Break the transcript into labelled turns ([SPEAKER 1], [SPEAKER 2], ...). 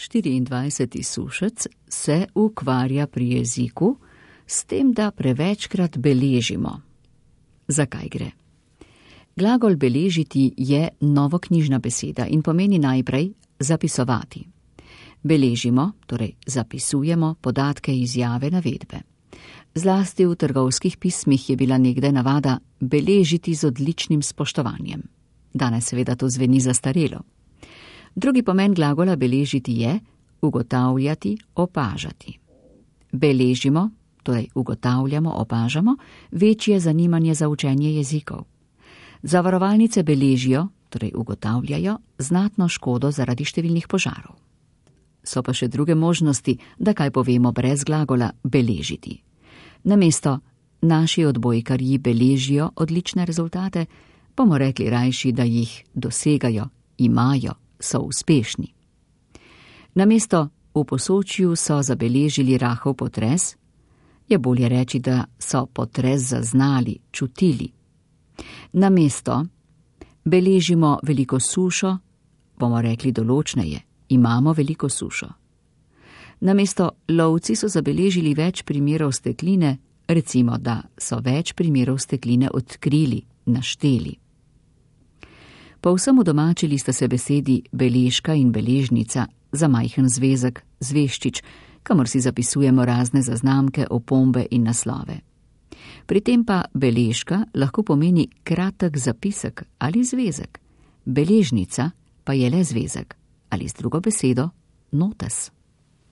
[SPEAKER 1] 24. sušec se ukvarja pri jeziku s tem, da prevečkrat beležimo. Zakaj gre? Glagol beležiti je novoknjižna beseda in pomeni najprej zapisovati. Beležimo, torej zapisujemo podatke, izjave, navedbe. Zlasti v trgovskih pismih je bila nekdaj navada beležiti z odličnim spoštovanjem. Danes seveda to zveni zastarelo. Drugi pomen glagola beležiti je ugotavljati, opažati. Beležimo, torej ugotavljamo, opažamo, večje zanimanje za učenje jezikov. Zavarovalnice beležijo, torej ugotavljajo, znatno škodo zaradi številnih požarov. So pa še druge možnosti, da kaj povemo brez glagola beležiti. Namesto naši odbojkarji beležijo odlične rezultate, bomo rekli rajši, da jih dosegajo, imajo, so uspešni. Namesto v Posočju so zabeležili rahel potres, je bolje reči, da so potres zaznali, čutili. Namesto beležimo veliko sušo, bomo rekli določneje, imamo veliko sušo. Namesto lovci so zabeležili več primerov stekline, recimo, da so več primerov stekline odkrili, našteli. Povsem udomačili sta se besedi beležka in beležnica za majhen zvezek, zveščič, kamor si zapisujemo razne zaznamke, opombe in naslove. Pri tem pa beležka lahko pomeni kratek zapisek ali zvezek, beležnica pa je le zvezek ali z drugo besedo notes.